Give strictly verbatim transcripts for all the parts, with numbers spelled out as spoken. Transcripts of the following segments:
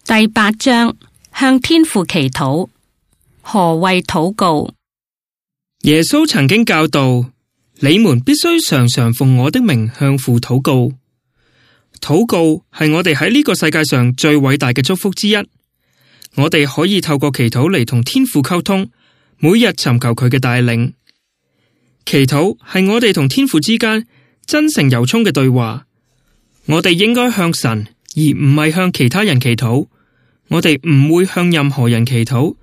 第八章，向天父祈禱。何謂禱告？耶穌曾經教導，你們必須常常奉我的名向父禱告。禱告係我哋喺呢個世界上最偉大嘅祝福之一。我哋可以透過祈禱嚟同天父溝通，每日尋求佢嘅帶領。祈禱係我哋同天父之間真誠由衷嘅對話。我哋應該向神，而唔係向其他人祈禱。我哋唔會向任何人祈禱，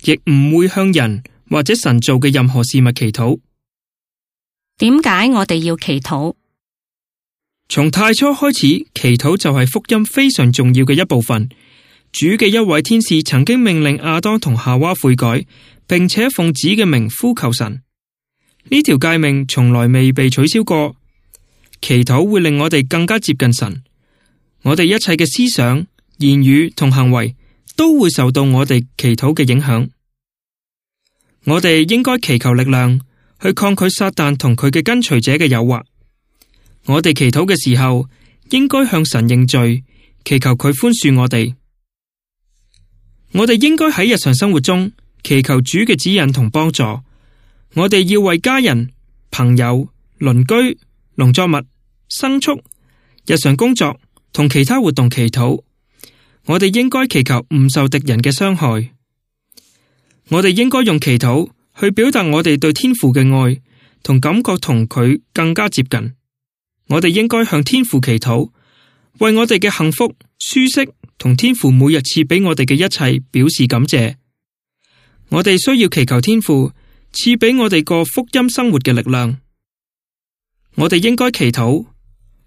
亦唔會向人或者神做嘅任何事物祈禱。點解我哋要祈禱？從太初開始，祈禱就係福音非常重要嘅一部分。主嘅一位天使曾經命令亞當同夏娃悔改，並且奉子嘅名呼求神。呢條誡命從來未被取消過。祈禱會令我哋更加接近神。我哋一切嘅思想、言語同行為都會受到我哋祈禱嘅影響。我哋應該祈求力量去抗拒撒旦同佢嘅跟隨者嘅誘惑。我哋祈禱嘅時候，應該向神認罪，祈求佢寬恕我哋。我哋應該喺日常生活中祈求主嘅指引同幫助。我哋要為家人、朋友、鄰居、農作物、牲畜、日常工作同其他活動祈禱。我哋應該祈求唔受敵人嘅傷害。我哋應該用祈禱去表達我哋對天父嘅愛，同感覺同佢更加接近。我哋應該向天父祈禱，為我哋嘅幸福、舒適同天父每日賜俾我哋嘅一切表示感謝。我哋需要祈求天父賜俾我哋過福音生活嘅力量。我哋應該祈禱，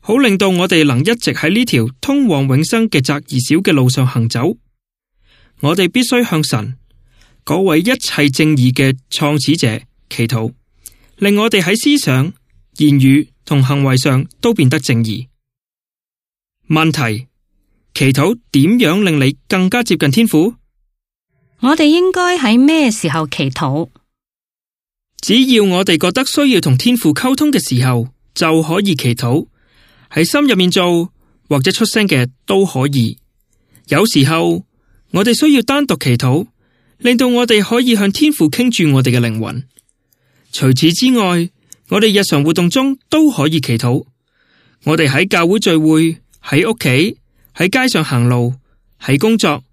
好令到我哋能一直喺呢條通往永生嘅窄而小嘅路上行走。我哋必須向神，嗰位一切正義嘅創始者祈禱，令我哋喺思想、言語同行為上都變得正義。問題：祈禱點樣令你更加接近天父？我哋應該喺咩時候祈禱？只要我哋覺得需要同天父溝通嘅時候，就可以祈禱。喺心入面做或者出聲嘅都可以。有時候我哋需要單獨祈禱，令到我哋可以向天父傾注我哋嘅靈魂。除此之外，我哋日常活動中都可以祈禱。我哋喺教會聚會、喺屋企、喺街上行路、喺工作、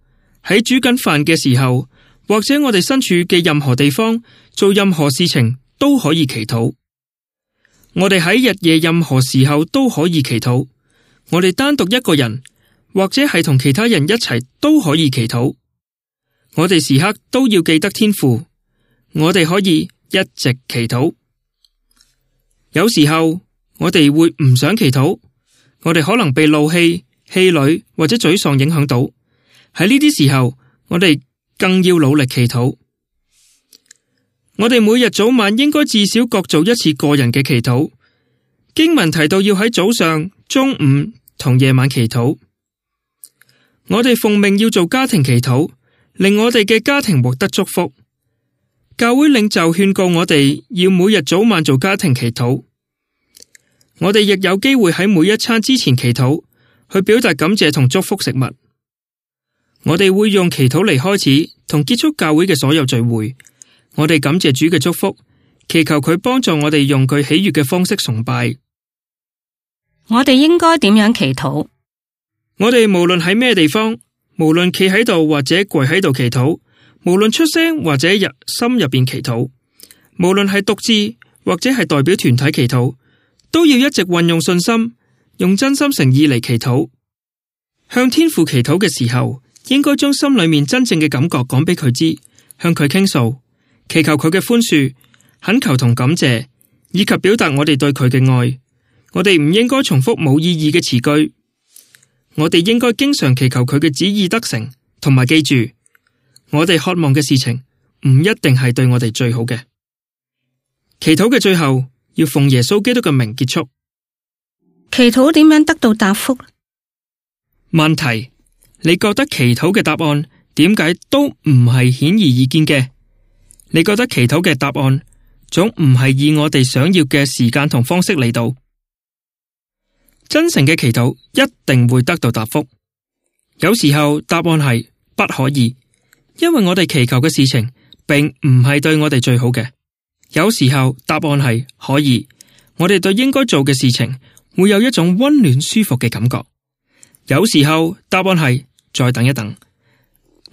喺煮緊飯嘅時候，或者我哋身處嘅任何地方做任何事情都可以祈禱。我哋喺日夜任何時候都可以祈禱。我哋單獨一個人，或者係同其他人一齊都可以祈禱。我哋時刻都要記得天父。我哋可以一直祈禱。有時候我哋會唔想祈禱，我哋可能被怒氣、氣餒或者沮喪影響到。喺呢啲時候，我哋更要努力祈禱。我哋每日早晚應該至少各做一次個人嘅祈禱。經文提到要喺早上、中午同夜晚祈禱。我哋奉命要做家庭祈禱，令我哋嘅家庭獲得祝福。教會領袖勸告我哋要每日早晚做家庭祈禱。我哋亦有機會喺每一餐之前祈禱，去表達感謝同祝福食物。我哋會用祈禱嚟開始同結束教會嘅所有聚會。我哋感謝主嘅祝福，祈求佢幫助我哋用佢喜悅嘅方式崇拜。我哋應該點樣祈禱？我哋無論喺咩地方，無論企喺度或者跪喺度祈禱，無論出聲或者入心入邊祈禱，無論係獨自或者係代表團體祈禱，都要一直運用信心，用真心誠意嚟祈禱。向天父祈禱嘅時候，應該將心裏面真正嘅感覺講俾佢知，向佢傾訴，祈求佢嘅寬恕，懇求同感謝，以及表達我哋對佢嘅愛。我哋唔應該重複冇意義嘅詞句。我哋應該經常祈求佢嘅旨意得成，同埋記住，我哋渴望嘅事情唔一定係對我哋最好嘅。祈禱嘅最後要奉耶穌基督嘅名結束。祈禱點樣得到答覆？問題：你覺得祈禱嘅答案點解都唔係顯而易見嘅？你覺得祈禱嘅答案總唔係以我哋想要嘅時間同方式嚟到？真誠嘅祈禱一定會得到答覆。有時候答案係不可以，因為我哋祈求嘅事情並唔係對我哋最好嘅。有時候答案係可以，我哋對應該做嘅事情會有一種溫暖舒服嘅感覺。有時候答案係再等一等，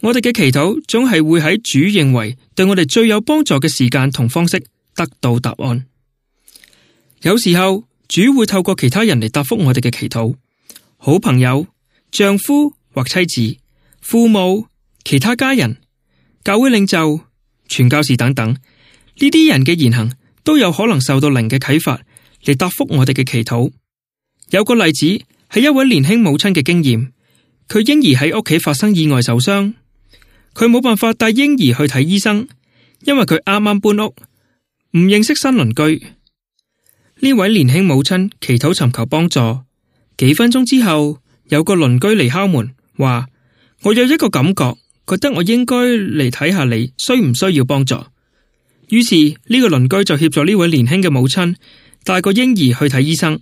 我哋嘅祈禱總係會喺主認為對我哋最有幫助嘅時間同方式得到答案。有時候主會透過其他人嚟答覆我哋嘅祈禱，好朋友、丈夫或妻子、父母、其他家人、教會領袖、傳教士等等。呢啲人嘅言行都有可能受到靈嘅啟發嚟答覆我哋嘅祈禱。有個例子係一位年輕母親嘅經驗，佢嬰兒喺屋企發生意外受傷，佢冇辦法帶嬰兒去睇醫生，因為佢啱啱搬屋，唔認識新鄰居。呢位年輕母親祈禱尋求幫助，幾分鐘之後，有個鄰居嚟敲門，話我有一個感覺，覺得我應該嚟睇下你需唔需要幫助。於是呢個鄰居就協助呢位年輕嘅母親帶個嬰兒去睇醫生。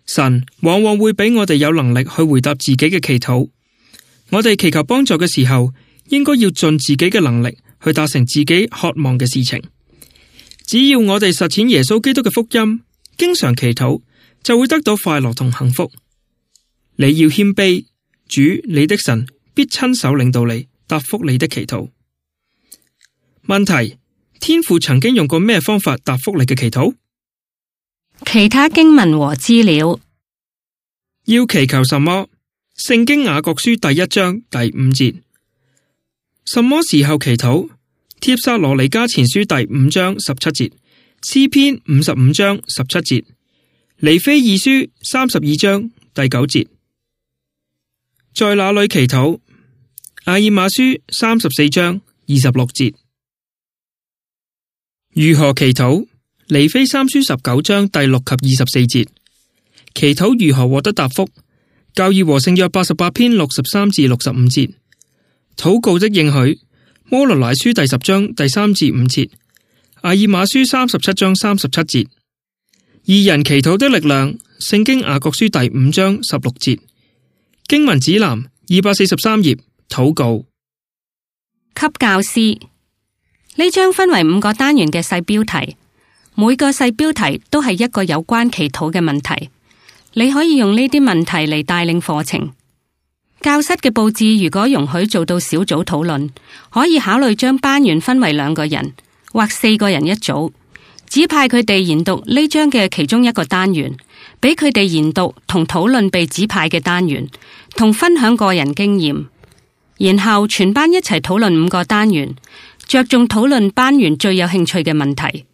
神往往會俾我哋有能力去回答自己嘅祈禱。我哋祈求幫助嘅時候，應該要盡自己嘅能力去達成自己渴望嘅事情。只要我哋實踐耶穌基督嘅福音，經常祈禱，就會得到快樂同幸福。你要謙卑，主你的神必親手領導你，答覆你的祈禱。問題：天父曾經用過咩方法答覆你嘅祈禱？其他經文和資料。要祈求什麼？聖經雅各書第一章第五節。什麼時候祈禱？帖撒羅尼迦前書第五章十七節，詩篇五十五章十七節，尼非二書三十二章第九節。在哪裏祈禱？阿爾瑪書三十四章二十六節。如何祈禱？尼非三書十九章第六及二十四節。祈禱如何獲得答覆？教義和聖約八十八篇六十三至六十五節。禱告的應許。摩羅乃書第十章第三至五節。阿爾瑪書三十七章三十七節。義人祈禱的力量。聖經雅各書第五章十六節。經文指南二百四十三頁。禱告。給教師。呢章分為五個單元嘅細標題，每個細標題都係一個有關祈禱嘅問題。你可以用呢啲問題嚟帶領課程。教室嘅佈置如果容許做到小組討論，可以考慮將班員分為兩個人或四個人一組，指派佢哋研讀呢章嘅其中一個單元，俾佢哋研讀同討論被指派嘅單元，同分享個人經驗。然後全班一齊討論五個單元，着重討論班員最有興趣嘅問題。